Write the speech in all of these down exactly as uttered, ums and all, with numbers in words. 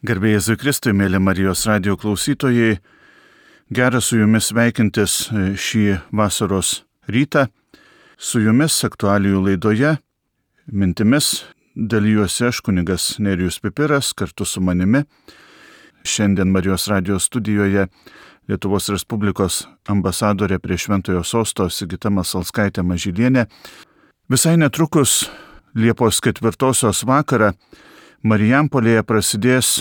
Garbė Jėzui Kristui, mėly Marijos radijo klausytojai, gera su jumis sveikintis šį vasaros rytą. Su jumis aktualijų laidoje mintimis dalijuosi aš, kunigas Nerijus Pipiras, kartu su manimi. Šiandien Marijos radijo studijoje Lietuvos Respublikos ambasadorė prie Šventojo Sosto Sigita Masalskaitė Mažylienė. Visai netrukus Liepos ketvirtosios vakarą Marijampolėje prasidės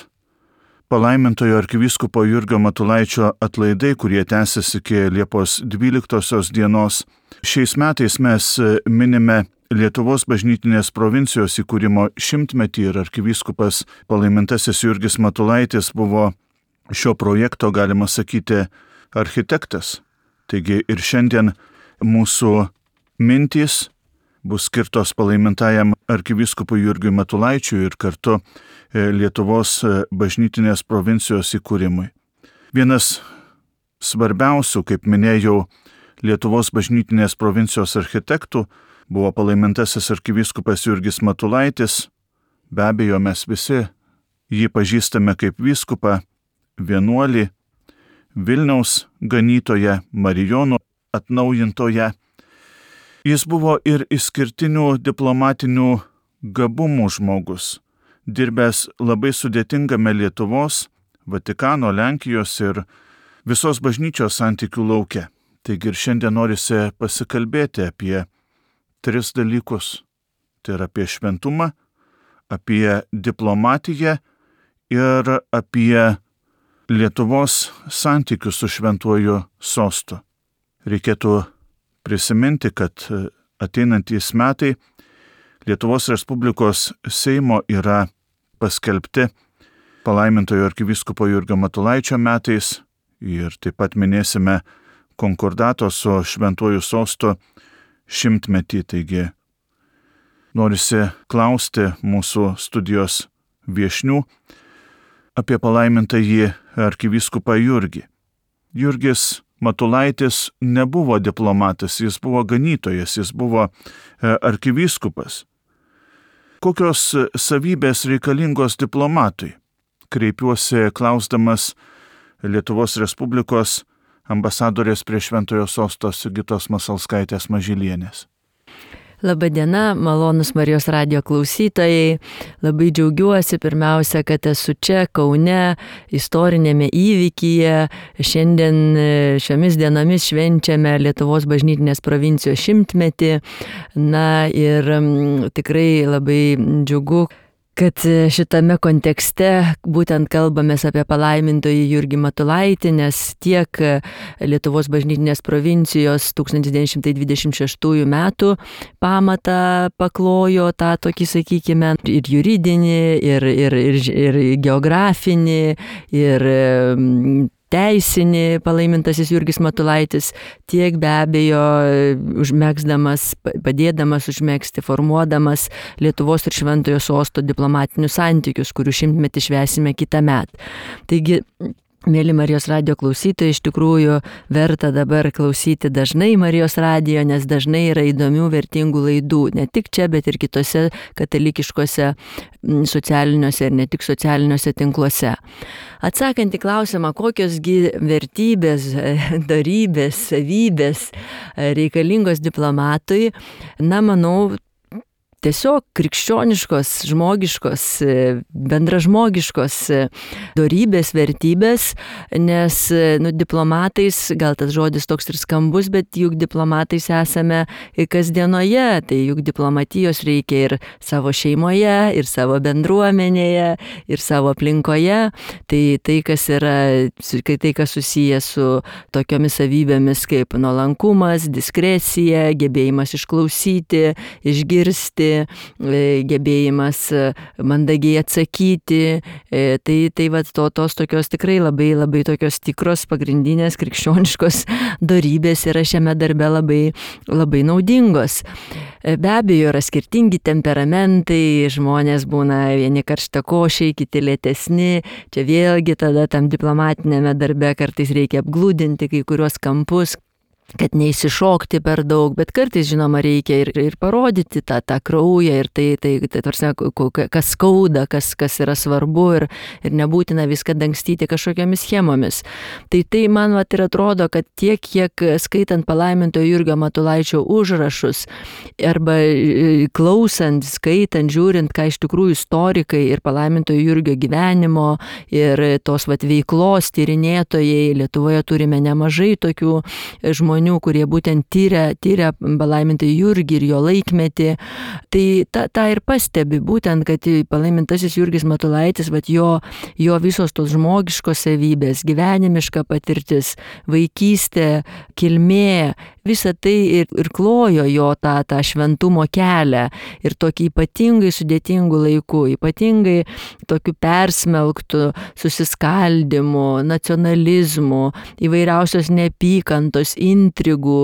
palaimintojo arkivyskupo Jurgio Matulaičio atlaidai, kurie tęsis iki Liepos dvyliktosios dienos. Šiais metais mes minime Lietuvos bažnytinės provincijos įkūrimo šimtmetį ir arkivyskupas palaimintasis Jurgis Matulaitis buvo šio projekto, galima sakyti, architektas. Taigi ir šiandien mūsų mintys bus skirtos palaimintajam arkivyskupui Jurgiui Matulaičiui ir kartu Lietuvos bažnytinės provincijos įkūrimui. Vienas svarbiausių, kaip minėjau, Lietuvos bažnytinės provincijos architektų buvo palaimintasis arkivyskupas Jurgis Matulaitis. Be abejo, mes visi jį pažįstame kaip vyskupą, vienuolį, Vilniaus ganytoją, Marijonų atnaujintoją. Jis buvo ir išskirtinių diplomatinių gabumų žmogus, dirbęs labai sudėtingame Lietuvos, Vatikano, Lenkijos ir visos bažnyčios santykių lauke. Taigi ir šiandien norisi pasikalbėti apie tris dalykus. Tai yra apie šventumą, apie diplomatiją ir apie Lietuvos santykius su Šventuoju Sostu. Reikėtų prisiminti, kad ateinantys metai Lietuvos Respublikos Seimo yra paskelbti palaimintojo arkivyskupo Jurgio Matulaičio metais ir taip pat minėsime konkordato su Šventuoju Sostu šimtmetį. Taigi norisi klausti mūsų studijos viešnių apie palaimintąjį arkivyskupą Jurgį. Jurgis Matulaitis nebuvo diplomatas, jis buvo ganytojas, jis buvo arkivyskupas. Kokios savybės reikalingos diplomatui? Kreipiuosi klausdamas Lietuvos Respublikos ambasadorės prie Šventojo Sosto Sigitos Masalskaitės Mažylienės. Labadiena, malonus Marijos radijo klausytojai. Labai džiaugiuosi pirmiausia, kad esu čia, Kaune, istorinėme įvykyje. Šiandien šiomis dienomis švenčiame Lietuvos bažnytinės provincijos šimtmetį. Na ir tikrai labai džiugu, kad šitame kontekste būtent kalbamės apie palaimintojį Jurgį Matulaitį, nes tiek Lietuvos bažnytinės provincijos tūkstantis devyni šimtai dvidešimt šeštųjų metų pamatą paklojo tą tokį, sakykime, ir juridinį, ir, ir, ir, ir geografinį, ir teisinį palaimintasis Jurgis Matulaitis, tiek be abejo užmegzdamas, padėdamas užmegzti, formuodamas Lietuvos ir Šventojo Sosto diplomatinius santykius, kurių šimtmetį švęsime kitą metą. Taigi, mėly Marijos radijo klausytojai, iš tikrųjų verta dabar klausyti dažnai Marijos radijo, nes dažnai yra įdomių, vertingų laidų, ne tik čia, bet ir kitose katalikiškose socialiniuose ir ne tik socialiniuose tinkluose. Atsakant į klausimą, kokiosgi vertybės, dorybės, savybės reikalingos diplomatui, na, manau, tiesiog krikščioniškos, žmogiškos, bendražmogiškos dorybės, vertybės, nes nu, diplomatais, gal tas žodis toks ir skambus, bet juk diplomatais esame kasdienoje, tai juk diplomatijos reikia ir savo šeimoje, ir savo bendruomenėje, ir savo aplinkoje. Tai tai, kas yra, tai, kas susiję su tokiomis savybėmis kaip nuolankumas, diskrecija, gebėjimas išklausyti, išgirsti, gebėjimas mandagiai atsakyti, tai, tai vat, to, tos tokios tikrai labai, labai tokios tikros pagrindinės krikščioniškos dorybės yra šiame darbe labai, labai naudingos. Be abejo, yra skirtingi temperamentai, žmonės būna vieni karštakošiai, kiti lėtesni, čia vėlgi tada tam diplomatinėme darbe kartais reikia apglūdinti kai kuriuos kampus. kad neįsišokti per daug, bet kartais, žinoma, reikia ir, ir parodyti tą, tą kraują ir tai, tai, tai tarsi, kas skauda, kas, kas yra svarbu ir, ir nebūtina viską dangstyti kažkokiamis schemomis. Tai tai man vat, ir atrodo, kad tiek, kiek skaitant palaimintojo Jurgio Matulaičio užrašus arba klausant, skaitant, žiūrint, ką iš tikrųjų istorikai ir palaimintojo Jurgio gyvenimo ir tos vat, veiklos tyrinėtojai, Lietuvoje turime nemažai tokių žmonių, kurie būtent tyria, tyria palaimintąjį Jurgį ir jo laikmetį. Tai tą, tą ir pastebi, būtent, kad palaimintasis Jurgis Matulaitis, vat, jo, jo visos tos žmogiškos savybės, gyvenimiška patirtis, vaikystė, kilmė, visa tai ir, ir klojo jo tą, tą šventumo kelią ir tokį ypatingai sudėtingų laikų, ypatingai tokių persmelktų susiskaldimų, nacionalizmų, įvairiausios neapykantos, intrigų,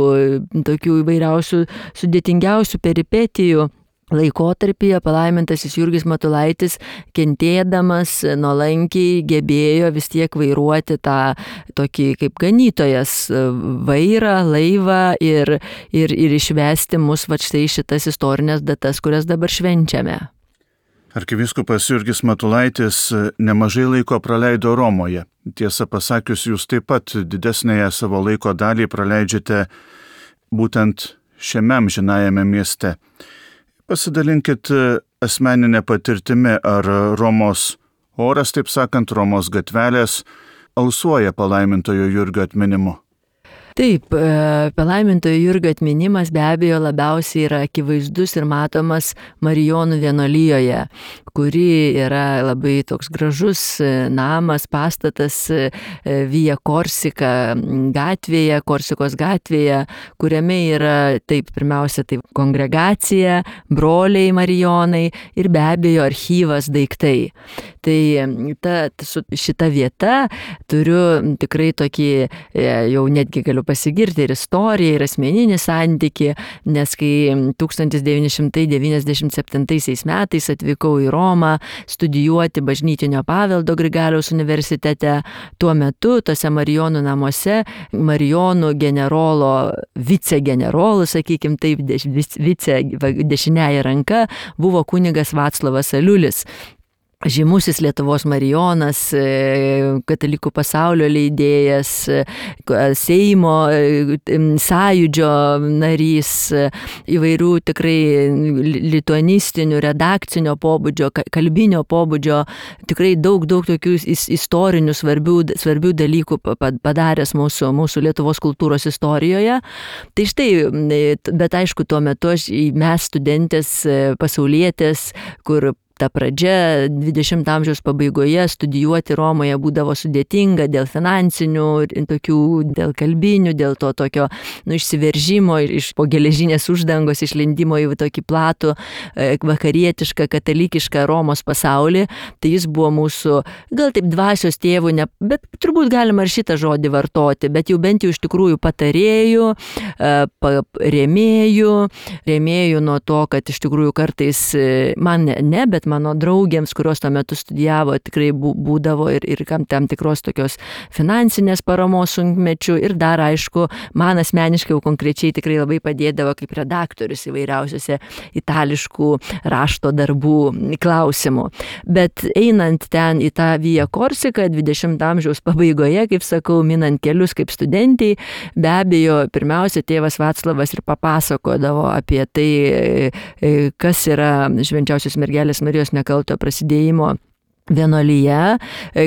tokių įvairiausių sudėtingiausių peripetijų laikotarpyje palaimintasis Jurgis Matulaitis, kentėdamas nuolankiai gebėjo vis tiek vairuoti tą tokį kaip ganytojas vairą, laivą ir, ir, ir išvesti mus va štai šitas istorinės datas, kurias dabar švenčiame. Arkivyskupas Jurgis Matulaitis nemažai laiko praleido Romoje. Tiesą pasakius, jūs taip pat didesnėje savo laiko dalį praleidžiate būtent šiame amžinajame mieste. Pasidalinkit asmeninę patirtimi, ar Romos oras, taip sakant, Romos gatvelės alsuoja palaimintojo Jurgio atminimu. Taip, palaimintojo Jurgio atminimas be abejo labiausiai yra akivaizdus ir matomas Marijonų vienuolijoje, kuri yra labai toks gražus namas, pastatas Via Korsika gatvėje, Korsikos gatvėje, kuriame yra taip pirmiausia taip kongregacija, broliai Marijonai ir be abejo archyvas, daiktai. Tai ta, šita vieta turiu tikrai tokį, jau netgi galiu pasigirti ir istoriją, ir asmeninį santykį, nes kai tūkstantis devyni šimtai devyniasdešimt septintaisiais metais atvykau į Romą studijuoti bažnytinio paveldo Grigaliaus universitete, tuo metu tose Marijonų namuose Marijonų generolo, vicegenerolų, sakykim taip, vice dešiniąja ranka buvo kunigas Vaclovas Aliulis. Žymusis Lietuvos Marijonas, katalikų pasaulio leidėjas, Seimo sąjūdžio narys, įvairių tikrai lituanistinių, redakcinio pobūdžio, kalbinio pobūdžio, tikrai daug, daug tokių istorinių svarbių, svarbių dalykų padaręs mūsų, mūsų Lietuvos kultūros istorijoje. Tai štai, bet aišku, tuo metu aš, mes studentės, pasaulietės, kur ta pradžia dvidešimto amžiaus pabaigoje studijuoti Romoje būdavo sudėtinga dėl finansinių, tokių, dėl kalbinių, dėl to tokio nu, išsiveržimo iš po geležinės uždangos, išlindimo į tokį platų vakarietišką, katalikišką Romos pasaulį. Tai jis buvo mūsų, gal taip dvasios tėvų, ne, bet turbūt galima ir šitą žodį vartoti, bet jau bent jau iš tikrųjų patarėjų, rėmėjų, rėmėjų nuo to, kad iš tikrųjų kartais man ne, bet mano draugėms, kurios tuo metu studijavo, tikrai būdavo ir, ir kam tam tikros tokios finansinės paramos sunkmečių ir dar, aišku, man asmeniškai jau konkrečiai tikrai labai padėdavo kaip redaktorius įvairiausiose itališkų rašto darbų klausimų. Bet einant ten į tą Via Korsiką dvidešimto amžiaus pabaigoje, kaip sakau, minant kelius kaip studentai, be abejo, pirmiausia, tėvas Vaclavas ir papasakodavo apie tai, kas yra Švenčiausios mergelės Marijos nekalto prasidėjimo vienuolija,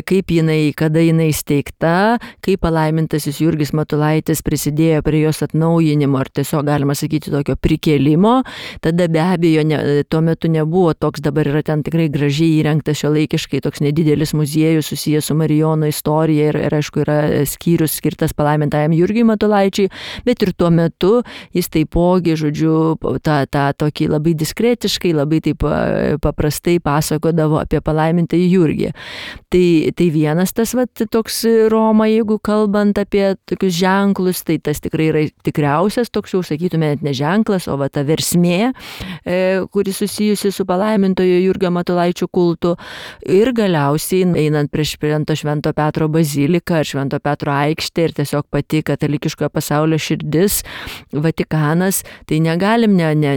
kaip jinai, kada jinai steigta, kaip palaimintasis Jurgis Matulaitis prisidėjo prie jos atnaujinimo ar tiesiog galima sakyti tokio prikėlimo. Tada be abejo ne, tuo metu nebuvo toks, dabar yra ten tikrai gražiai įrengtas šiuolaikiškai toks nedidelis muziejus susijęs su Marijonų istorija ir, ir aišku yra skyrius skirtas palaimintajam Jurgiui Matulaičiui, bet ir tuo metu jis taipogi, žodžiu, tą, tą tokį labai diskretiškai, labai taip paprastai pasakodavo apie palaimintąjį Jurgį. Tai, tai vienas tas vat, toks Roma, jeigu kalbant apie tokius ženklus, tai tas tikrai yra tikriausias toks jau, sakytume, net ne ženklas, o va ta versmė, e, kuri susijusi su palaimintojo Jurgio Matulaičio kultu. Ir galiausiai einant prieš Švento Švento Petro baziliką ar Švento Petro aikštę ir tiesiog pati katalikiškojo pasaulio širdis, Vatikanas, tai negalim, ne, ne,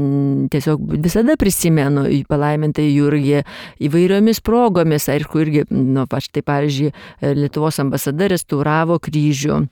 tiesiog visada prisimenu palaimintai Jurgį įvairiomis progomis, aišku, irgi, nu, aš tai pavyzdžiui, Lietuvos ambasada restauravo kryžių.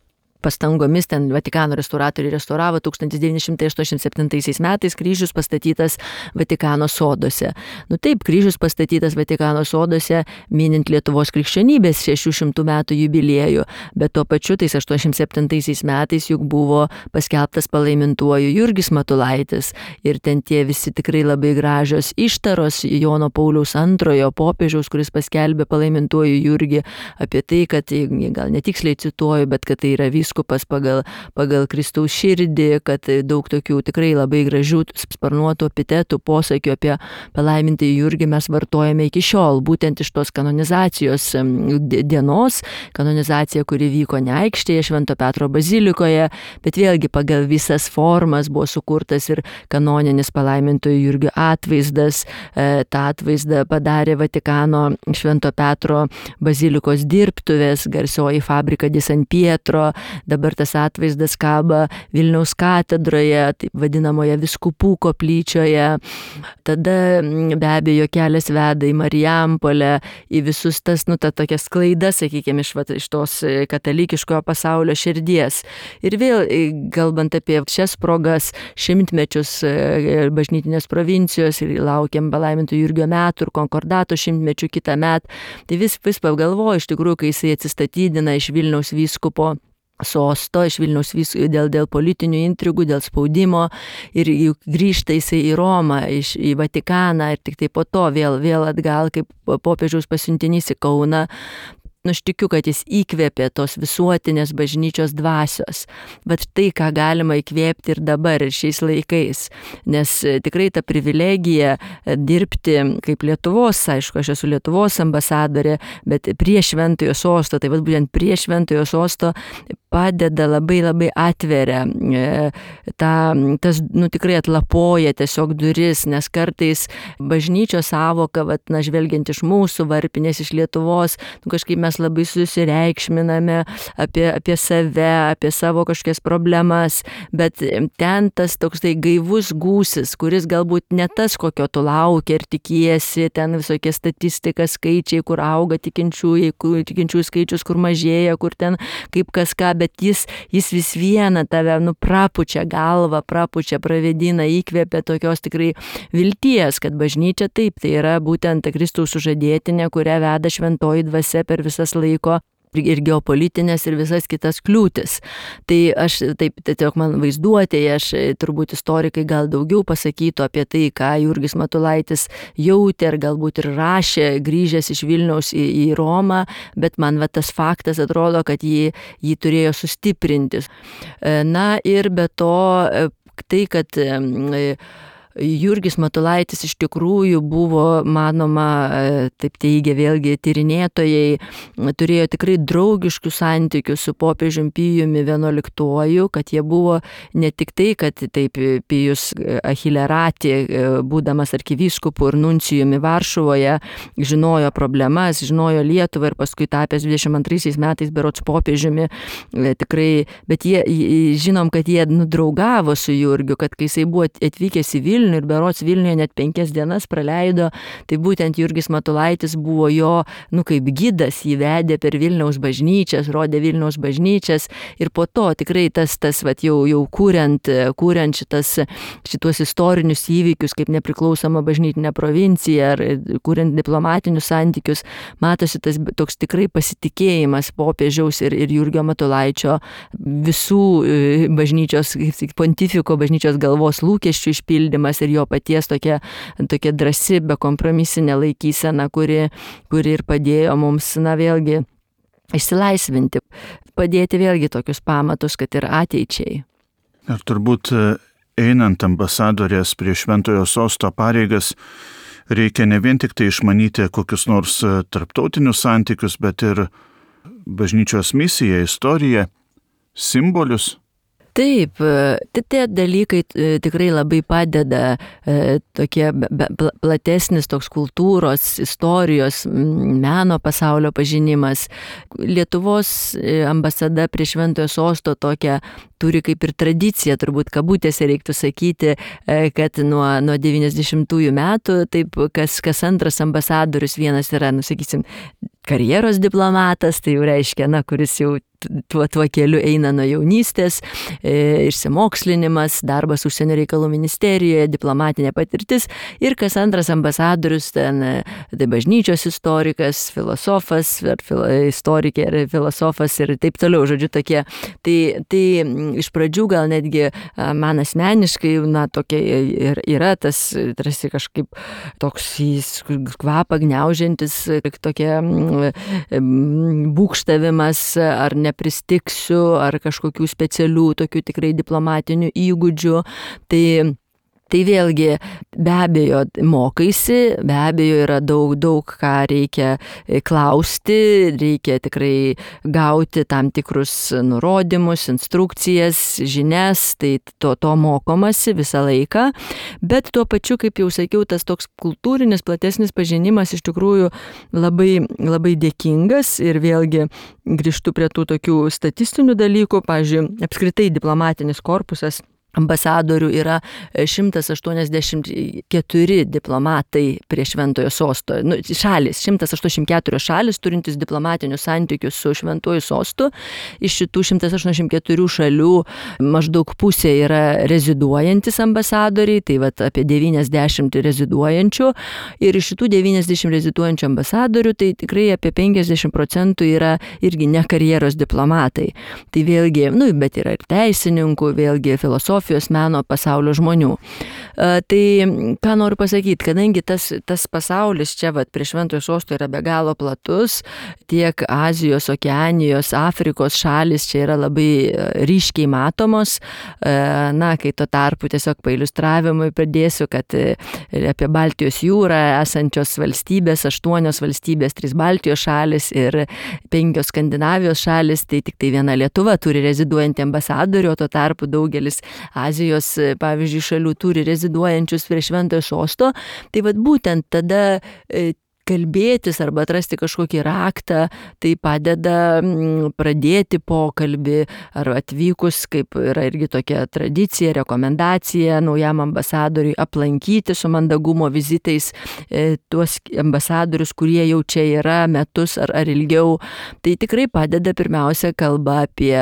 Pastangomis ten Vatikano restauratoriai restauravo tūkstantis devyni šimtai aštuoniasdešimt septintaisiais metais kryžius pastatytas Vatikano soduose. Nu taip, kryžius pastatytas Vatikano soduose, minint Lietuvos krikščionybės šešių šimtų metų jubiliejų, bet tuo pačiu tais aštuoniasdešimt septintaisiais metais juk buvo paskelbtas palaimintuoju Jurgis Matulaitis ir ten tie visi tikrai labai gražios ištaros Jono Pauliaus antrojo popiežiaus, kuris paskelbė palaimintuoju Jurgį apie tai, kad, gal netiksliai cituoju, bet kad tai yra vyskupas pagal, pagal Kristaus širdį, kad daug tokių tikrai labai gražių sparnuotų epitetų, posakių apie palaimintąjį Jurgį mes vartojame iki šiol, būtent iš tos kanonizacijos dienos, kanonizacija, kuri vyko ne aikštėje Švento Petro bazilikoje, bet vėlgi pagal visas formas buvo sukurtas ir kanoninis palaimintojo Jurgio atvaizdas. Ta atvaizdą padarė Vatikano Švento Petro bazilikos dirbtuvės, garsioji fabrika di San Pietro. Dabar tas atvaizdas kaba Vilniaus katedroje, taip vadinamoje Vyskupų koplyčioje. Tada be abejo kelias veda į Marijampolę, į visus tas, nu, ta tokia sklaida, sakykime, iš, iš tos katalikiškojo pasaulio širdies. Ir vėl, kalbant apie šias progas, šimtmečius bažnytinės provincijos ir laukiam palaiminto Jurgio metų ir konkordato šimtmečių kitą metą, tai vis, vis pagalvoju, iš tikrųjų, kai jisai atsistatydina iš Vilniaus vyskupo sosto, iš Vilniaus vyskupo dėl, dėl politinių intrigų, dėl spaudimo ir grįžta jisai į Romą, iš, į Vatikaną ir tik tai po to vėl, vėl atgal kaip popiežiaus pasiuntinys į Kauną. Nu, aš tikiu, kad jis įkvėpė tos visuotinės bažnyčios dvasios. Bet tai, ką galima įkvėpti ir dabar, ir šiais laikais. Nes tikrai ta privilegija dirbti kaip Lietuvos, aišku, aš esu Lietuvos ambasadorė, bet prie Šventojo sosto, tai vad būtent prie Šventojo sosto padeda labai labai atveria, ta, tas, nu, tikrai atlapoja tiesiog duris, nes kartais bažnyčios savoka, vat, na, žvelgiant iš mūsų varpinės, iš Lietuvos, nu, kažkaip mes labai susireikšminame apie, apie save, apie savo kažkokias problemas, bet ten tas toks tai gaivus gūsis, kuris galbūt ne tas, kokio tu laukia ir tikiesi, ten visokie statistika, skaičiai, kur auga tikinčiųjų, tikinčiųjų skaičius, kur mažėja, kur ten kaip kas ką, bet jis, jis vis viena tave, nu, prapučia galvą, prapučia, pravedina, įkvėpia tokios tikrai vilties, kad bažnyčia taip, tai yra būtent ta Kristaus sužadėtinė, kurią veda šventoji dvasia per visas laiko ir geopolitinės ir visas kitas kliūtis. Tai aš taip, tiesiog man vaizduotėje, aš turbūt istorikai gal daugiau pasakytų apie tai, ką Jurgis Matulaitis jautė ir galbūt ir rašė, grįžęs iš Vilniaus į, į Romą, bet man va tas faktas atrodo, kad jį, jį turėjo sustiprinti. Na ir be to tai, kad Jurgis Matulaitis iš tikrųjų buvo, manoma, taip teigia vėlgi tyrinėtojai, turėjo tikrai draugiškų santykių su popiežiumi Pijumi vienuoliktuoju, kad jie buvo ne tik tai, kad taip Pijus Achilerati, būdamas arkivyskupu ir nuncijumi Varšuvoje, žinojo problemas, žinojo Lietuvą ir paskui tapęs dvidešimt antraisiais metais berods popiežiumi, tikrai, bet jie, žinom, kad jie nudraugavo su Jurgiu, kad kai jisai buvo atvykęs į Vilnių, ir berods Vilniuje net penkias dienas praleido, tai būtent Jurgis Matulaitis buvo jo, nu, kaip gidas, jį vedė per Vilniaus bažnyčias, rodė Vilniaus bažnyčias ir po to tikrai tas, tas vat, jau, jau kuriant, kuriant šitas, šitos istorinius įvykius kaip nepriklausoma bažnytinė provincija ar kuriant diplomatinius santykius, matosi tas toks tikrai pasitikėjimas popiežiaus ir, ir Jurgio Matulaičio visų bažnyčios, kaip pontifiko bažnyčios galvos lūkesčių išpildymas ir jo paties tokia, tokia drąsi, bekompromisinė laikysena, kuri, kuri ir padėjo mums, na, vėlgi išsilaisvinti, padėti vėlgi tokius pamatus, kad ir ateičiai. Ir turbūt einant ambasadorės prie Šventojo sosto pareigas, reikia ne vien tik tai išmanyti kokius nors tarptautinius santykius, bet ir bažnyčios misiją, istoriją, simbolius. Taip, tie dalykai tikrai labai padeda, tokie platesnis toks kultūros, istorijos, meno pasaulio pažinimas. Lietuvos ambasada prie Šventojo Sosto tokią turi kaip ir tradiciją, turbūt kabutėse reiktų sakyti, kad nuo, nuo devyniasdešimtųjų metų, taip, kas, kas antras ambasadorius, vienas yra, nu, sakysim, karjeros diplomatas, tai jau reiškia, na, kuris jau tuo, tuo keliu eina nuo jaunystės, e, išsimokslinimas, darbas užsienio reikalų ministerijoje, diplomatinė patirtis ir kas antras ambasadorius, ten, tai bažnyčios istorikas, filosofas, ar filo, istorikė, ar filosofas ir taip toliau, žodžiu, tokie. Tai, tai iš pradžių gal netgi man asmeniškai, na, tokia ir yra tas, tarsi kažkaip toks kvapą gniaužiantis, tokia būkštavimas, ar nepristiksiu, ar kažkokių specialių, tokių tikrai diplomatinių įgūdžių. Tai Tai vėlgi, be abejo, mokaisi, be abejo yra daug, daug ką reikia klausti, reikia tikrai gauti tam tikrus nurodymus, instrukcijas, žinias, tai to, to mokomasi visą laiką, bet tuo pačiu, kaip jau sakiau, tas toks kultūrinis, platesnis pažinimas iš tikrųjų labai, labai dėkingas ir vėlgi grįžtu prie tų tokių statistinių dalykų, pavyzdžiui, apskritai diplomatinis korpusas ambasadorių yra šimtas aštuoniasdešimt keturi diplomatai prie Šventojo Sosto. Nu, šalis, šimtas aštuoniasdešimt keturios šalis turintis diplomatinius santykius su Šventuoju Sostu. Iš šitų šimtas aštuoniasdešimt keturių šalių maždaug pusė yra reziduojantis ambasadoriai, tai vat apie devyniasdešimt reziduojančių. Ir iš šitų devyniasdešimt reziduojančių ambasadorių, tai tikrai apie penkiasdešimt procentų yra irgi ne karjeros diplomatai. Tai vėlgi, nu, bet yra ir teisininkų, vėlgi filosofijos, meno pasaulio žmonių. Tai ką noriu pasakyti, kadangi tas, tas pasaulis čia vat, prie Šventojo Sosto yra be galo platus, tiek Azijos, Okeanijos, Afrikos šalis čia yra labai ryškiai matomos, na, kai tuo tarpu tiesiog pailiustravimui pradėsiu, kad apie Baltijos jūrą esančios valstybės, aštuonios valstybės, trys Baltijos šalis ir penkios Skandinavijos šalis, tai tik tai viena Lietuva turi reziduojantį ambasadorių, o tuo tarpu daugelis Azijos, pavyzdžiui, šalių turi reziduojančius prie Šventojo Sosto, tai vat būtent tada kalbėtis arba atrasti kažkokį raktą, tai padeda pradėti pokalbį ar atvykus, kaip yra irgi tokia tradicija, rekomendacija naujam ambasadoriui aplankyti su mandagumo vizitais e, tuos ambasadorius, kurie jau čia yra metus ar, ar ilgiau. Tai tikrai padeda pirmiausia kalba apie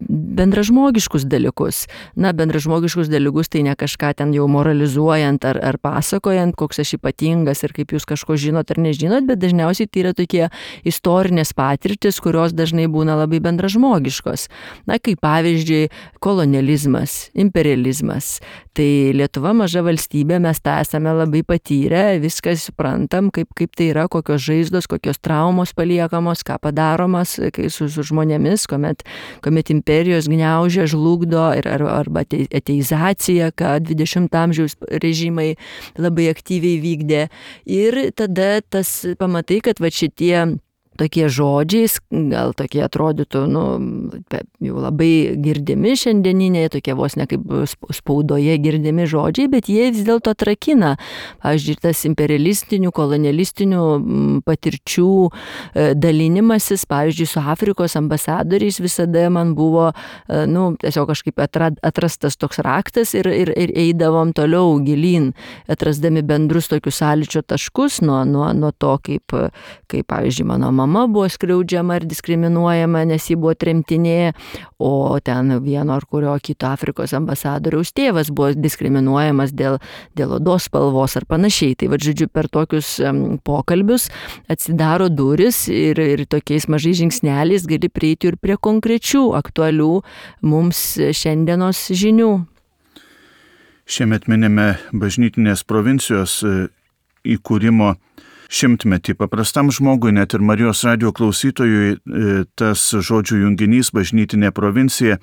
bendražmogiškus dalykus. Na, bendražmogiškus dalykus tai ne kažką ten jau moralizuojant ar, ar pasakojant, koks aš ypatingas ir kaip jūs kažko žinot ar nežinot, bet dažniausiai tai yra tokie istorinės patirtis, kurios dažnai būna labai bendražmogiškos. Na, kaip pavyzdžiui, kolonializmas, imperializmas. Tai Lietuva maža valstybė, mes tą esame labai patyrę, viską suprantam, kaip, kaip tai yra, kokios žaizdos, kokios traumos paliekamos, ką padaromas su, su žmonėmis, kuomet, kuomet imperijos gniaužia, žlugdo ir, ar, arba ateizacija, ką dvidešimto amžiaus režimai labai aktyviai vykdė. Ir tada tas pamatai, kad va šitie tokie žodžiai, gal tokie atrodytų, nu, jau labai girdimi šiandieniniai, tokie vos ne kaip spaudoje girdimi žodžiai, bet jie vis dėlto atrakina. Pavyzdžiui, tas imperialistinių, kolonialistinių patirčių dalinimasis, pavyzdžiui, su Afrikos ambasadoriais visada man buvo, nu, tiesiog kažkaip atrastas toks raktas ir, ir, ir eidavom toliau gilyn, atrasdami bendrus tokius sąlyčio taškus nuo, nuo, nuo to, kaip, kaip, pavyzdžiui, mano mama mama buvo skriaudžiama ir diskriminuojama, nes ji buvo tremtinė, o ten vieno ar kurio kito Afrikos ambasadoriaus tėvas buvo diskriminuojamas dėl, dėl odos spalvos ar panašiai. Tai va, žodžiu, per tokius um, pokalbius atsidaro duris ir, ir tokiais mažais žingsneliais gali prieiti ir prie konkrečių aktualių mums šiandienos žinių. Šiemet minime bažnytinės provincijos įkūrimo šimtmetį. Paprastam žmogui, net ir Marijos radijo klausytojui, tas žodžių junginys bažnytinė provincija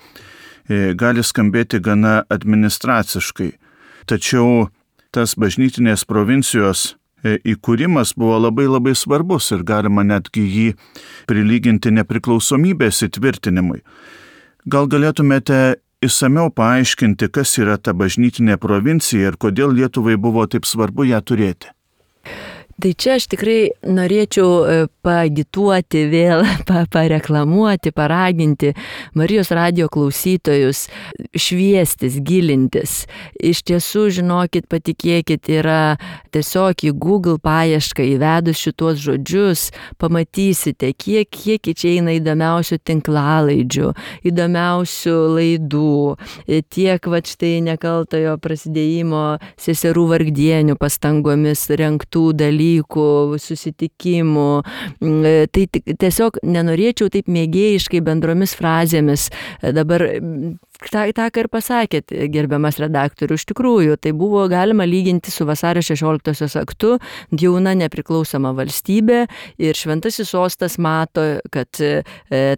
gali skambėti gana administraciškai. Tačiau tas bažnytinės provincijos įkūrimas buvo labai labai svarbus ir galima netgi jį prilyginti nepriklausomybės įtvirtinimui. Gal galėtumėte išsamiau paaiškinti, kas yra ta bažnytinė provincija ir kodėl Lietuvai buvo taip svarbu ją turėti? Tai čia aš tikrai norėčiau paagituoti vėl, pareklamuoti, paraginti Marijos radijo klausytojus šviestis, gilintis. Iš tiesų, žinokit, patikėkit, yra tiesiog į Google paiešką įvedus šitos žodžius, pamatysite, kiek, kiek čia eina įdomiausių tinklalaidžių, įdomiausių laidų, tiek va štai nekaltojo prasidėjimo seserų vargdienių pastangomis rengtų dalykų, susitikimų. Tai tiesiog nenorėčiau taip mėgėjiškai bendromis frazėmis dabar. Ta, tą, ką ir pasakėt, gerbiamas redaktorių, iš tikrųjų, tai buvo galima lyginti su vasario šešioliktosios aktu, jauna nepriklausoma valstybė ir šventasis sostas mato, kad e,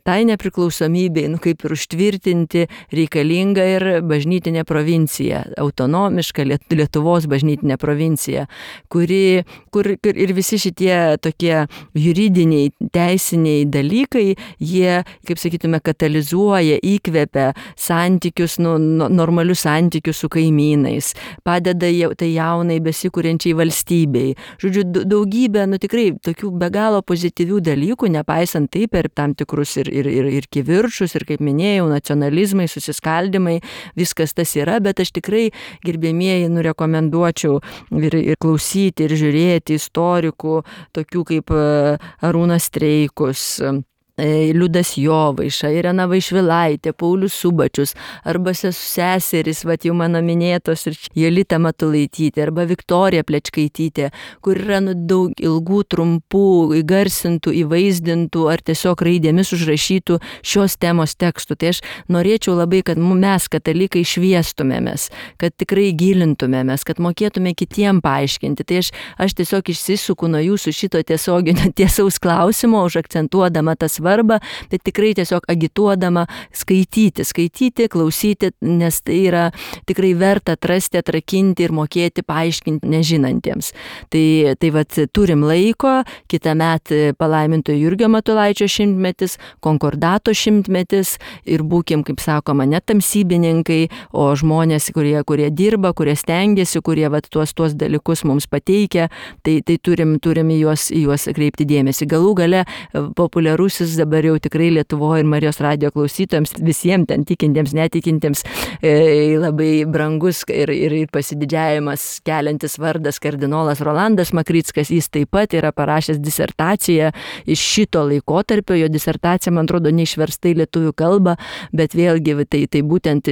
tai nepriklausomybei, nu, kaip ir užtvirtinti, reikalinga ir bažnytinė provincija, autonomiška Lietuvos bažnytinė provincija, kuri, kur, kur ir visi šitie tokie juridiniai, teisiniai dalykai, jie, kaip sakytume, katalizuoja, įkvepia santykius, santykius, nu, normalius santykius su kaimynais, padeda jau, tai jaunai besikūrenčiai valstybei. Žodžiu, daugybė, nu tikrai, tokių be galo pozityvių dalykų, nepaisant taip per tam tikrus ir, ir, ir, ir kivirčus, ir kaip minėjau, nacionalizmai, susiskaldimai, viskas tas yra, bet aš tikrai, gerbėmieji, nu, rekomenduočiau ir, ir klausyti, ir žiūrėti istorikų, tokių kaip Arūnas Streikus, Liudas Jovaiša, Irena Vaišvilaitė, Paulius Subačius, arba seseris, vat jau mano minėtos, ir Jolita Matulaitytė, arba Viktorija Plečkaitytė, kur yra nu, daug ilgų, trumpų, įgarsintų, įvaizdintų ar tiesiog raidėmis užrašytų šios temos tekstų. Tai aš norėčiau labai, kad mes, katalikai, šviestumėmės, kad tikrai gilintumėmės, kad mokėtume kitiem paaiškinti. Tai aš, aš tiesiog išsisuku nuo jūsų šito tiesioginio tiesaus klausimo, užakcentuodama tas svarbą, tai tikrai tiesiog agituodama skaityti, skaityti, klausyti, nes tai yra tikrai verta atrasti, atrakinti ir mokėti paaiškinti nežinantiems. Tai, tai vat turim laiko, kitą metą palaimintojo Jurgio Matulaičio šimtmetis, konkordato šimtmetis ir būkim, kaip sakoma, ne tamsybininkai, o žmonės, kurie, kurie dirba, kurie stengiasi, kurie vat tuos, tuos dalykus mums pateikia, tai, tai turim, turim į juos, į juos kreipti dėmesį. Galų gale populiarusis dabar jau tikrai Lietuvoje ir Marijos radijo klausytojams, visiems ten tikintiems, netikintiems, e, labai brangus ir, ir, ir pasididžiavimas keliantis vardas kardinolas Rolandas Makrickas. Jis taip pat yra parašęs disertaciją iš šito laikotarpio. Jo disertacija, man atrodo, neišversta į lietuvių kalbą, bet vėlgi tai, tai būtent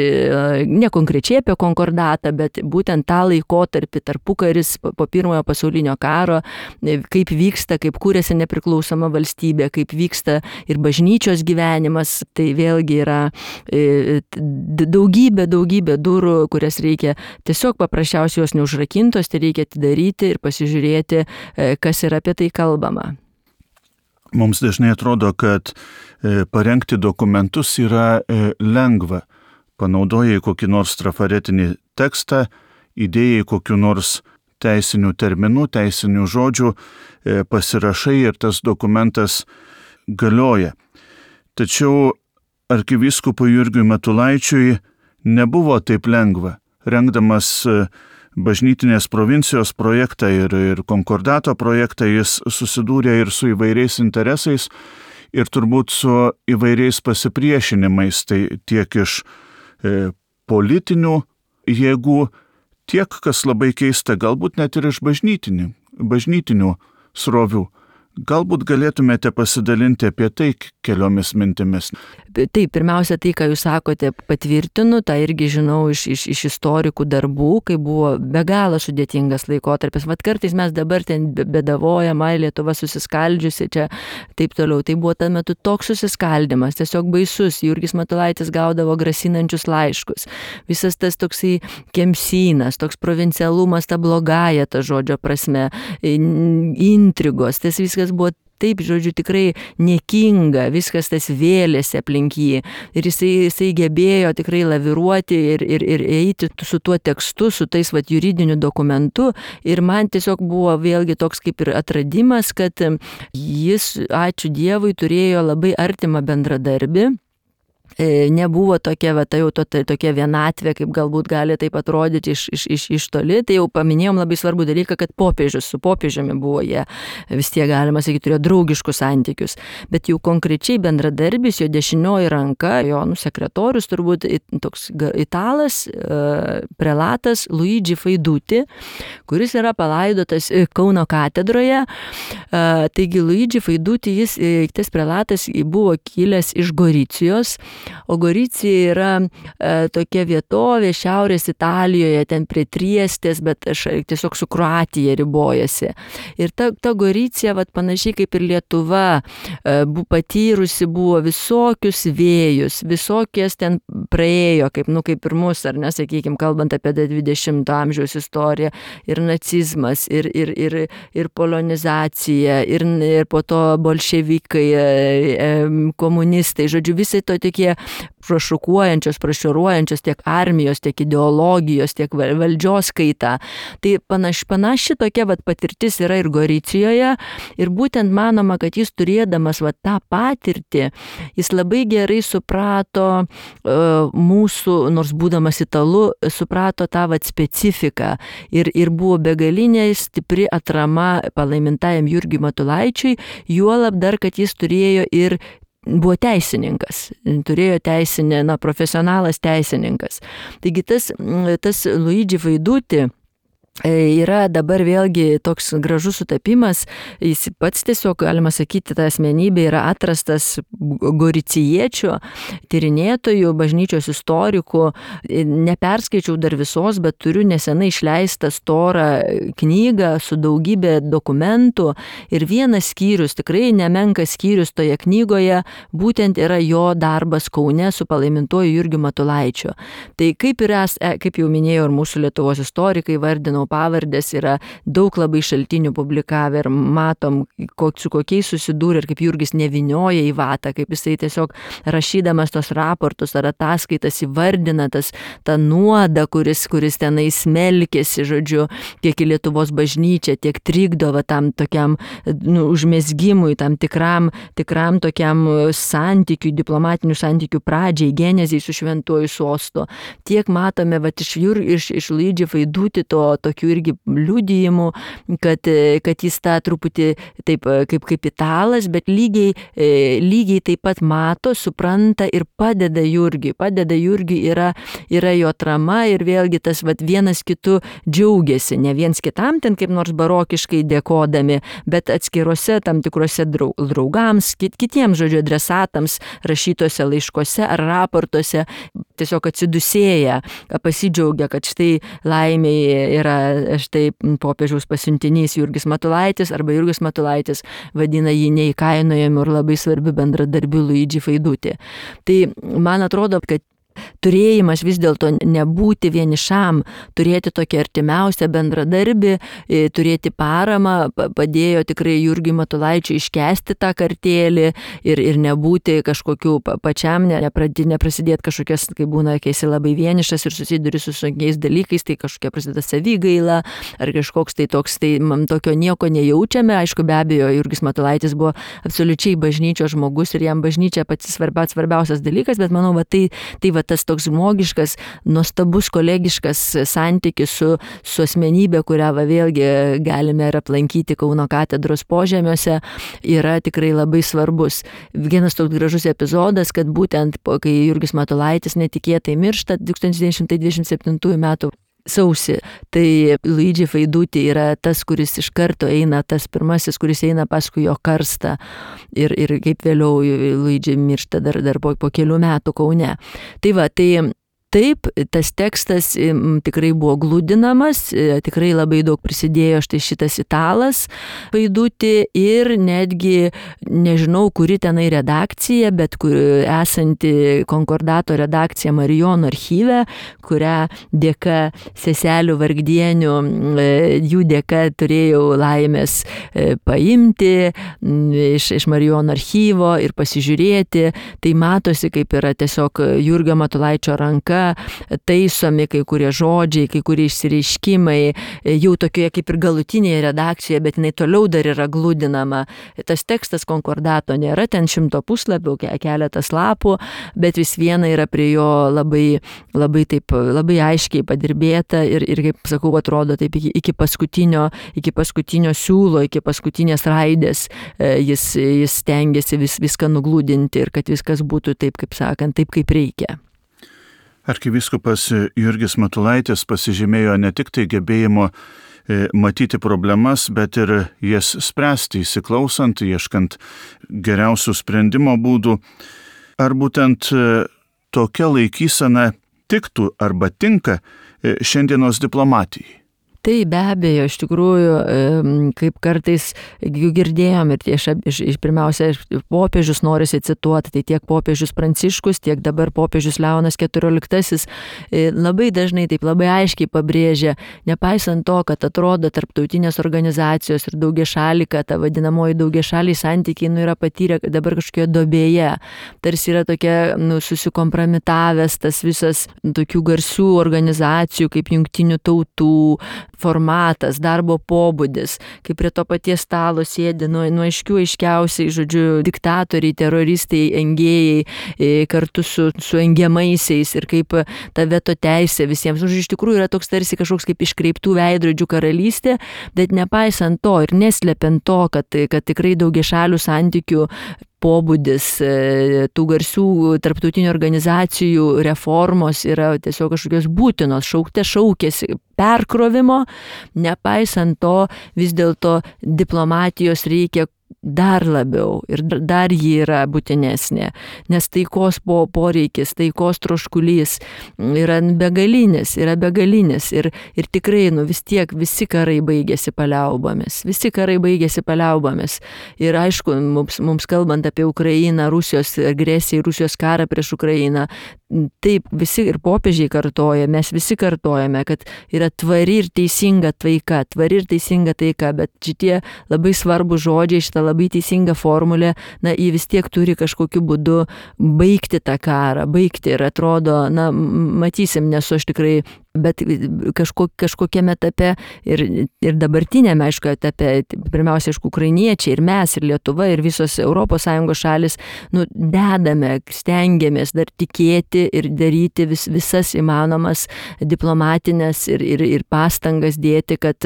ne konkrečiai apie konkordatą, bet būtent tą laikotarpį, tarpukaris po pirmojo pasaulinio karo, kaip vyksta, kaip kūrėsi nepriklausoma valstybė, kaip vyksta ir bažnyčios gyvenimas, tai vėlgi yra daugybė, daugybė durų, kurias reikia tiesiog paprasčiausiai jos neužrakintos, tai reikia atidaryti ir pasižiūrėti, kas yra apie tai kalbama. Mums dažnai atrodo, kad parengti dokumentus yra lengva. Panaudojai kokį nors trafaretinį tekstą, įdėjai kokiu nors teisinių terminų, teisinių žodžių, pasirašai ir tas dokumentas galioja. Tačiau arkivyskupui Jurgiui Matulaičiui nebuvo taip lengva. Rengdamas bažnytinės provincijos projektą ir, ir konkordato projektą, jis susidūrė ir su įvairiais interesais ir turbūt su įvairiais pasipriešinimais, tai tiek iš e, politinių jėgų, tiek, kas labai keista, galbūt net ir iš bažnytinių, bažnytinių srovių. Galbūt galėtumėte pasidalinti apie tai keliomis mintimis. Taip, pirmiausia, tai, ką jūs sakote, patvirtinu, tą irgi žinau iš, iš, iš istorikų darbų, kai buvo be galo sudėtingas laikotarpis. Vat kartais mes dabar ten bedavojama, Lietuva susiskaldžiusi čia, taip toliau. Tai buvo tuo metu toks susiskaldimas, tiesiog baisus. Jurgis Matulaitis gaudavo grasinančius laiškus. Visas tas toksai kemsynas, toks provincialumas, ta blogąja ta žodžio prasme, intrigos, tas viskas buvo taip, žodžiu, tikrai niekinga, viskas tas vėlėsi aplink jį. Ir jisai, jisai gebėjo tikrai laviruoti ir, ir, ir eiti su tuo tekstu, su tais vat, juridiniu dokumentu. Ir man tiesiog buvo vėlgi toks kaip ir atradimas, kad jis, ačiū Dievui, turėjo labai artimą bendradarbį. Nebuvo tokia, va, tai jau to, tai, tokia vienatvė, kaip galbūt gali taip atrodyti iš, iš, iš, iš toli. Tai jau paminėjom labai svarbų dalyką, kad popiežius su popiežiumi buvo jie, vis tiek galima sakyti, turėjo draugiškus santykius. Bet jau konkrečiai bendradarbis, jo dešinioji ranka, jo nu, sekretorius turbūt toks italas, prelatas Luigi Faiduti, kuris yra palaidotas Kauno katedroje. Taigi Luigi Faiduti, jis, tas prelatas buvo kilęs iš Goricijos. O Goricija yra e, tokia vietovė šiaurės Italijoje, ten prie Triestės, bet aš tiesiog su Kroatija ribojasi. Ir ta, ta Goricija, vat, panašiai kaip ir Lietuva, e, bu, patyrusi buvo visokius vėjus, visokies ten praėjo, kaip, nu, kaip ir mus, ar nesakykime, kalbant apie dvidešimto amžiaus istoriją, ir nacizmas, ir, ir, ir, ir polonizacija, ir, ir po to bolševikai, e, e, komunistai, žodžiu, visai to tokie prašokuojančios, prašoruojančios tiek armijos, tiek ideologijos, tiek valdžios kaita. Tai panaši, panaši tokia vat, patirtis yra ir Goricijoje ir būtent manoma, kad jis turėdamas vat, tą patirtį, jis labai gerai suprato uh, mūsų, nors būdamas italu, suprato tą vat, specifiką ir, ir buvo begalinė stipri atrama palaimintajam Jurgiui Matulaičiui, juolab dar, kad jis turėjo ir buvo teisininkas, turėjo teisinę, na, profesionalas teisininkas. Taigi tas, tas Luigi Faiduti yra dabar vėlgi toks gražus sutapimas, jis pats tiesiog, galima sakyti, ta asmenybė yra atrastas goricijiečių, tyrinėtojų, bažnyčios istorikų, neperskaičiau dar visos, bet turiu nesenai išleistą storą knygą su daugybė dokumentų ir vienas skyrius, tikrai nemenkas skyrius toje knygoje, būtent yra jo darbas Kaune su palaimintuoju Jurgiu Matulaičiu. Tai kaip, ir es, kaip jau minėjau ir mūsų Lietuvos istorikai vardino pavardės, yra daug labai šaltinių publikavę ir matom, kok, su kokiais susidūrė ir kaip Jurgis nevinioja į vatą, kaip jisai tiesiog rašydamas tos raportus ar ataskaitas įvardina tas, tą nuodą, kuris, kuris tenai smelkėsi, žodžiu, tiek į Lietuvos bažnyčią, tiek trikdo va, tam tokiam nu, užmezgimui, tam tikram, tikram tokiam santykiui, diplomatinių santykių pradžiai, genezijai su šventuoju sostu. Tiek matome va, iš, iš, iš Luigi Faiduti to tokių irgi liudijimų, kad, kad jis tą truputį taip kaip, kaip italas, bet lygiai, lygiai taip pat mato, supranta ir padeda Jurgiui. Padeda Jurgiui yra, yra jo atrama ir vėlgi tas vat, vienas kitu džiaugiasi, ne viens kitam ten kaip nors barokiškai dėkodami, bet atskiruose tam tikrose draugams, kit, kitiems žodžio adresatams rašytose laiškose ar raportuose tiesiog atsidusėja, pasidžiaugia, kad štai laimėje yra štai popiežiaus pasiuntinys Jurgis Matulaitis arba Jurgis Matulaitis vadina jį neįkainojamu ir labai svarbiu bendradarbiu Luigi Faiduti. Tai man atrodo, kad turėjimas vis dėlto nebūti vienišam, turėti tokį artimiausią bendradarbį, turėti paramą, padėjo tikrai Jurgiui Matulaičiui iškęsti tą kartėlį ir, ir nebūti kažkokiu pačiam, neprasidėti kažkokias, kai būna, kai esi labai vienišas ir susiduri su sunkiais dalykais, tai kažkokia prasideda savigaila ar kažkoks tai toks, tai man tokio nieko nejaučiame. Aišku, be abejo, Jurgis Matulaitis buvo absoliučiai bažnyčios žmogus ir jam bažnyčia pats svarbiausias, svarbiausias dalykas, bet manau, va, tai, tai va, tas toks žmogiškas, nuostabus kolegiškas santykis su, su asmenybė, kurią va, vėlgi galime ir aplankyti Kauno katedros požemiuose, yra tikrai labai svarbus. Vienas toks gražus epizodas, kad būtent kai Jurgis Matulaitis netikėtai miršta tūkstantis devyni šimtai dvidešimt septintųjų metų sausį, tai Luigi Faiduti yra tas, kuris iš karto eina, tas pirmasis, kuris eina paskui jo karstą ir, ir kaip vėliau Luigi miršta dar, dar po, po kelių metų Kaune. Tai va, tai taip, tas tekstas tikrai buvo glūdinamas, tikrai labai daug prisidėjo štai šitas italas Vaidutį ir netgi, nežinau, kuri tenai redakcija, bet kur esanti Konkordato redakcija Marijonų archyve, kurią dėka seselių vargdienių, jų dėka turėjau laimės paimti iš, iš Marijonų archyvo ir pasižiūrėti. Tai matosi, kaip yra tiesiog Jurgio Matulaičio ranka taisomi kai kurie žodžiai, kai kurie išsireiškimai, jau tokioje kaip ir galutinėje redakcijoje, bet jinai toliau dar yra glūdinama. Tas tekstas Konkordato nėra ten šimto puslapių, keletas lapų, bet vis viena yra prie jo labai, labai, taip, labai aiškiai padirbėta ir, ir kaip sakau, atrodo taip iki, iki, paskutinio, iki paskutinio siūlo, iki paskutinės raidės jis, jis stengiasi vis, viską nuglūdinti ir kad viskas būtų taip, kaip sakant, taip, kaip reikia. Arkivyskupas Jurgis Matulaitis pasižymėjo ne tik tai gebėjimo matyti problemas, bet ir jas spręsti, įsiklausant, ieškant geriausių sprendimo būdų. Ar būtent tokia laikysena tiktų arba tinka šiandienos diplomatijai? Tai be abejo, iš tikrųjų, kaip kartais jų girdėjom ir iš, iš, iš pirmiausia popiežius norisi cituoti, tai tiek popiežius Pranciškus, tiek dabar popiežius Leonas keturioliktasis labai dažnai taip labai aiškiai pabrėžia, nepaisant to, kad atrodo tarptautinės organizacijos ir daugiašaliai, kad ta vadinamoji daugiašaliai santykiai nu, yra patyrę dabar kažkokioje dobėje, tarsi yra tokia nu, susikompromitavęs tas visas tokių garsių organizacijų kaip Jungtinių tautų formatas, darbo pobūdis, kaip prie to paties stalo sėdi nuo, nuo aiškių aiškiausiai, žodžiu, diktatoriai, teroristai, engėjai kartu su, su engiamaisiais ir kaip ta veto teisė visiems. Žodžiu, iš tikrųjų yra toks tarsi kažkoks kaip iškreiptų veidrodžių karalystė, bet nepaisant to ir neslepiant to, kad, kad tikrai daugiašalių santykių pobūdis tų garsių tarptautinių organizacijų reformos yra tiesiog kažkokios būtinos, šaukte šaukėsi perkrovimo, nepaisant to vis dėlto diplomatijos reikia dar labiau ir dar ji yra būtinesnė, nes taikos po, poreikis, taikos troškulys yra begalinis, yra begalinis ir, ir tikrai nu, vis tiek visi karai baigėsi paliaubomis, visi karai baigėsi paliaubomis ir aišku, mums, mums kalbant apie Ukrainą, Rusijos agresiją, Rusijos karą prieš Ukrainą, taip visi ir popiežiai kartoja, mes visi kartojame, kad yra tvari ir teisinga taika, tvari ir teisinga taika, bet šitie labai svarbus žodžiai, šitą labai teisinga formulė, na, jį vis tiek turi kažkokiu būdu baigti tą karą, baigti ir atrodo, na, matysim, nesu aš tikrai, bet kažko, kažkokiame etape ir, ir dabartinėme, aišku, etape, pirmiausia, aišku, ukrainiečiai ir mes, ir Lietuva, ir visos Europos Sąjungos šalis, nu, dedame, stengiamės dar tikėti ir daryti vis, visas įmanomas diplomatinės ir, ir, ir pastangas dėti, kad,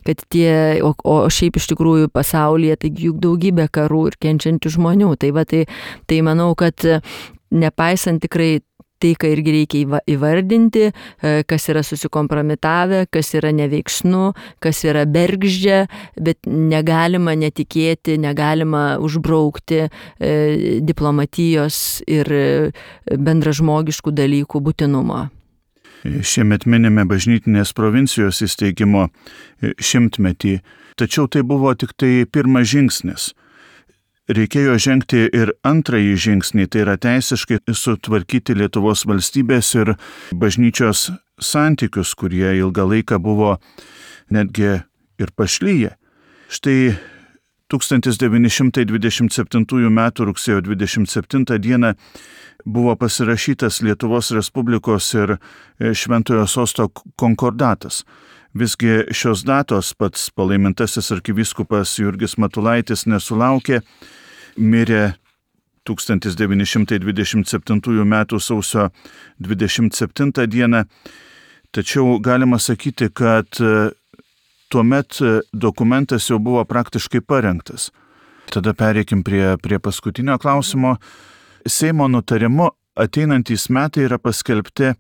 kad tie, o, o šiaip iš tikrųjų pasaulyje, tai juk daugybė karų ir kenčiančių žmonių. Tai va, tai, tai manau, kad nepaisant tikrai tai, ką irgi reikia įvardinti, kas yra susikompromitavę, kas yra neveiksnu, kas yra bergždžia, bet negalima netikėti, negalima užbraukti diplomatijos ir bendražmogiškų dalykų būtinumo. Šiemet minime bažnytinės provincijos įsteigimo šimtmetį, tačiau tai buvo tik tai pirmas žingsnis. Reikėjo žengti ir antrąjį žingsnį, tai yra teisiškai sutvarkyti Lietuvos valstybės ir bažnyčios santykius, kurie ilgą laiką buvo netgi ir pašlyję. Štai tūkstantis devyni šimtai dvidešimt septintųjų metų rugsėjo dvidešimt septintą dieną buvo pasirašytas Lietuvos Respublikos ir Šventojo Sosto konkordatas. Visgi šios datos pats palaimintasis arkivyskupas Jurgis Matulaitis nesulaukė, mirė tūkstantis devyni šimtai dvidešimt septintųjų metų sausio dvidešimt septintą dieną, tačiau galima sakyti, kad tuomet dokumentas jau buvo praktiškai parengtas. Tada pereikim prie, prie paskutinio klausimo. Seimo nutarimu ateinantys metai yra paskelbti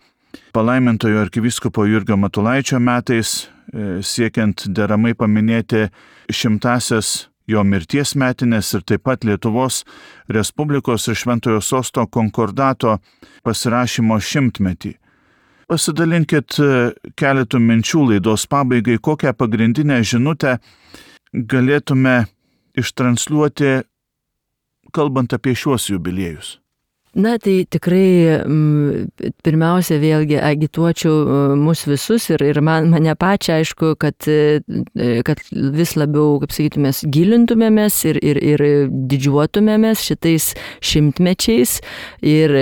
palaimintojo arkivyskupo Jurgio Matulaičio metais, siekiant deramai paminėti šimtasias jo mirties metinės ir taip pat Lietuvos Respublikos ir Šventojo Sosto konkordato pasirašymo šimtmetį. Pasidalinkit keletų minčių laidos pabaigai, kokią pagrindinę žinutę galėtume ištransliuoti, kalbant apie šiuos jubiliejus. Na, tai tikrai pirmiausia vėlgi agituočiau mus visus ir, ir man, mane pačią, aišku, kad, kad vis labiau, kaip sakytumės, gilintumėmės ir, ir, ir didžiuotumėmės šitais šimtmečiais ir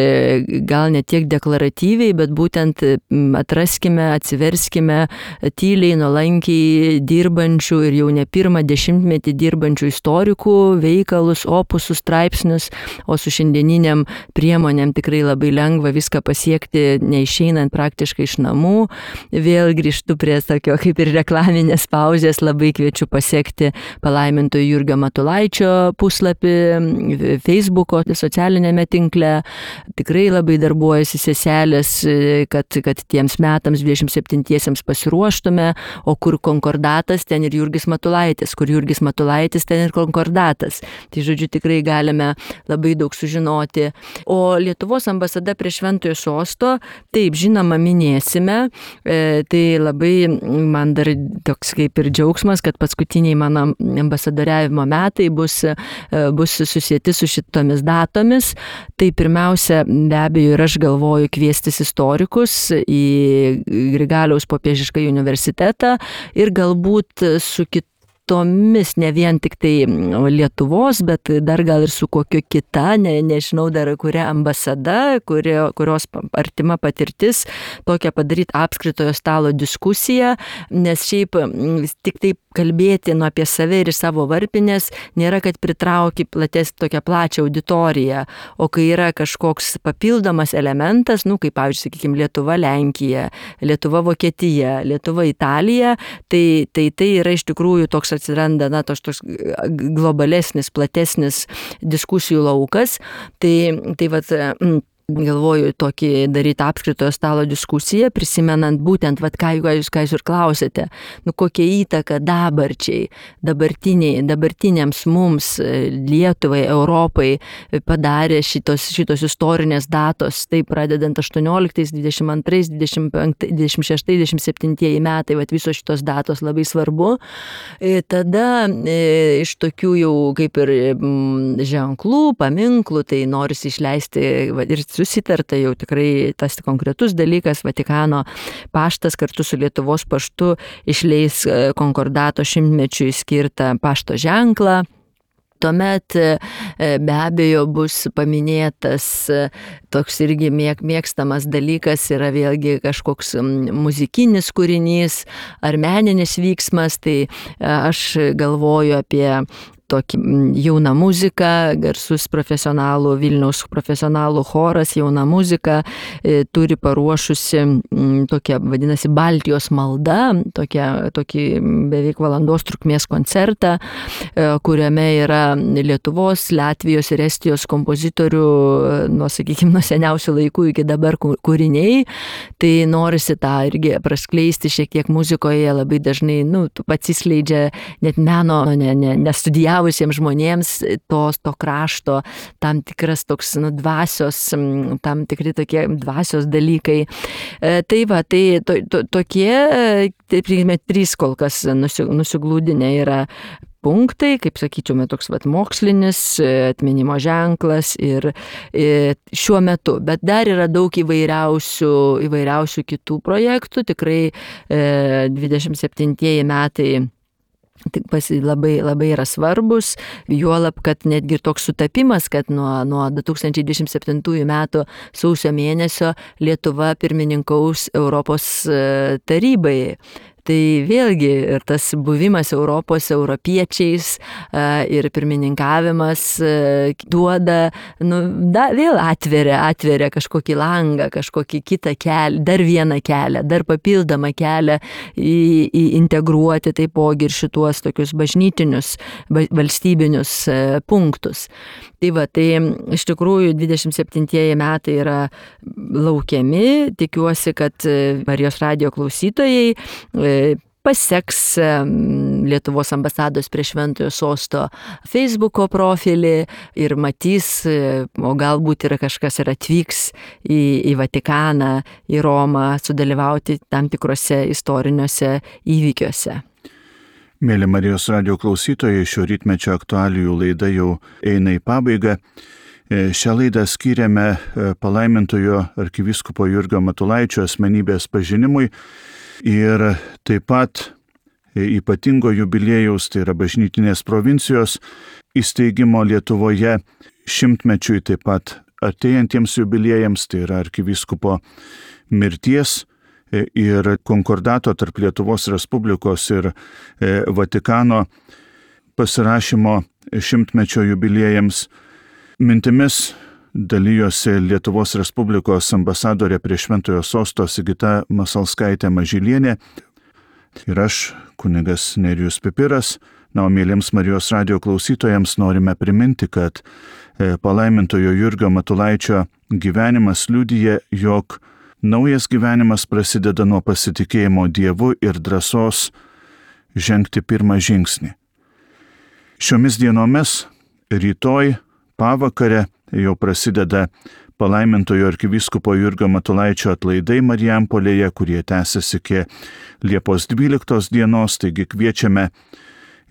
gal ne tiek deklaratyviai, bet būtent atraskime, atsiverskime tyliai, nuolankiai dirbančių ir jau ne pirmą dešimtmetį dirbančių istorikų veikalus, opusus, straipsnius, o su šiandieniniam priemonėm tikrai labai lengva viską pasiekti, neišeinant praktiškai iš namų. Vėl grįžtu prie tokio kaip ir reklaminės pauzės, labai kviečiu pasiekti palaimintojo Jurgio Matulaičio puslapį Facebooko socialinėme tinkle. Tikrai labai darbuojasi seselės, kad, kad tiems metams dvidešimt septintiesiems pasiruoštume, o kur konkordatas, ten ir Jurgis Matulaitis, kur Jurgis Matulaitis, ten ir konkordatas. Tai žodžiu, tikrai galime labai daug sužinoti. O Lietuvos ambasada prie Šventojo Sosto, taip, žinoma, minėsime. E, tai labai man dar toks kaip ir džiaugsmas, kad paskutiniai mano ambasadoriavimo metai bus, e, bus susieti su šitomis datomis. Tai pirmiausia, be abejo, ir aš galvoju kviestis istorikus į Grigaliaus popiežiškąjį universitetą ir galbūt su kitu tomis, ne vien tik tai Lietuvos, bet dar gal ir su kokio kita, ne, nežinau dar kuria ambasada, kurio, kurios artima patirtis, tokią padaryti apskritojo stalo diskusiją, nes šiaip tik taip kalbėti nu, apie save ir savo varpinės nėra, kad pritrauki plates tokią plačią auditoriją, o kai yra kažkoks papildomas elementas, nu, kaip pavyzdžiui, sakykime, Lietuva, Lenkija, Lietuva, Vokietija, Lietuva, Italija, tai tai, tai yra iš tikrųjų toks atsiranda, na, toks, toks globalesnis, platesnis diskusijų laukas. Tai, tai vat, galvoju tokį daryti apskritojo stalo diskusiją, prisimenant būtent, vat, ką, jūs, ką jūs ir klausėte, nu, kokia įtaka dabarčiai, dabartiniai, dabartiniams mums, Lietuvai, Europai padarė šitos, šitos istorinės datos, tai pradedant aštuonioliktais, dvidešimt antrais, dvidešimt penktais, dvidešimt šeštais, dvidešimt septintais metai, vat, visos šitos datos labai svarbu. Tada iš tokių jau kaip ir ženklų, paminklų, tai norisi išleisti vat, ir susitarta jau tikrai tas konkretus dalykas, Vatikano paštas kartu su Lietuvos paštu išleis konkordato šimtmečiui skirtą pašto ženklą. Tuomet be abejo bus paminėtas toks irgi mėgstamas dalykas, yra vėlgi kažkoks muzikinis kūrinys ar meninis vyksmas, tai aš galvoju apie tokį jauną muziką, garsus profesionalų, Vilniaus profesionalų choras, jauna muzika, e, turi paruošusi m, tokia, vadinasi, Baltijos malda, tokia, tokį beveik valandos trukmės koncertą, e, kuriame yra Lietuvos, Latvijos ir Estijos kompozitorių, nuo, sakykime, nuo seniausių laikų iki dabar kūriniai. Tai norisi tą irgi praskleisti šiek tiek muzikoje, labai dažnai, nu, atsiskleidžia net meno, ne, ne, nestudijavo visiems žmonėms tos, to krašto, tam tikras toks nu, dvasios, tam tikri tokie dvasios dalykai. E, tai va, tai to, to, tokie, tai priimė trys kol kas nusiglūdinę yra punktai, kaip sakyčiau, toks vat, mokslinis atminimo ženklas ir, ir šiuo metu. Bet dar yra daug įvairiausių, įvairiausių kitų projektų, tikrai e, dvidešimt septintieji metai labai, labai yra svarbus, juolab, kad netgi toks sutapimas, kad nuo, nuo du tūkstančiai dvidešimt septintųjų metų sausio mėnesio Lietuva pirmininkaus Europos tarybai. Tai vėlgi ir tas buvimas Europos europiečiais ir pirmininkavimas duoda, nu, da, vėl atveria, atveria kažkokį langą, kažkokį kitą kelią, dar vieną kelią, dar papildomą kelią į, į integruoti taipogi ir šituos tokius bažnytinius, valstybinius punktus. Tai va, tai iš tikrųjų dvidešimt septintieji metai yra laukiami, tikiuosi, kad Marijos radijo klausytojai paseks Lietuvos ambasados prie Šventojo Sosto Facebooko profilį ir matys, o galbūt yra kažkas ir atvyks į, į Vatikaną, į Romą, sudalyvauti tam tikrose istoriniuose įvykiuose. Mėly Marijos radijo klausytojai, šio rytmečio aktualijų laida jau eina į pabaigą. Šią laidą skyrėme palaimintojo arkivyskupo Jurgio Matulaičio asmenybės pažinimui ir taip pat ypatingo jubiliejaus, tai yra bažnytinės provincijos įsteigimo Lietuvoje šimtmečiui, taip pat artėjantiems jubiliejams, tai yra arkivyskupo mirties ir konkordato tarp Lietuvos Respublikos ir Vatikano pasirašymo šimtmečio jubiliejams. Mintimis dalijosi Lietuvos Respublikos ambasadorė prie Šventojo Sosto Sigita Masalskaitė Mažylienė ir aš, kunigas Nerijus Pipiras. Na, o mėlyms Marijos radijo klausytojams norime priminti, kad palaimintojo Jurgio Matulaičio gyvenimas liudija, jog naujas gyvenimas prasideda nuo pasitikėjimo Dievu ir drąsos žengti pirmą žingsnį. Šiomis dienomis, rytoj, pavakare jau prasideda palaimintojo arkivyskupo Jurgio Matulaičio atlaidai Marijampolėje, kurie tęsiasi iki Liepos dvyliktos dienos, taigi kviečiame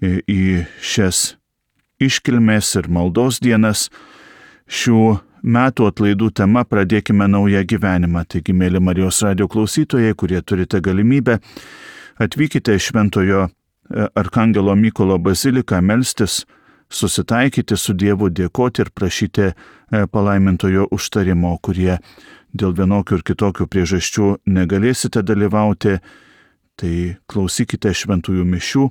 į šias iškilmės ir maldos dienas. Šių metų atlaidų tema Pradėkime naują gyvenimą. Taigi, mėly Marijos radijo klausytojai, kurie turite galimybę, atvykite į Šventojo Arkangelo Mykolo baziliką melstis, susitaikyti su Dievu, dėkoti ir prašyti palaimintojo užtarimo, kurie dėl vienokių ir kitokių priežasčių negalėsite dalyvauti, tai klausykite šventųjų mišių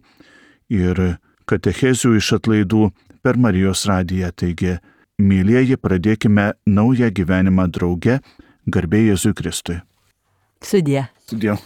ir katechezių iš atlaidų per Marijos radiją. Taigi, mylieji, pradėkime naują gyvenimą drauge, garbė Jėzui Kristui. Sudie. Sudie.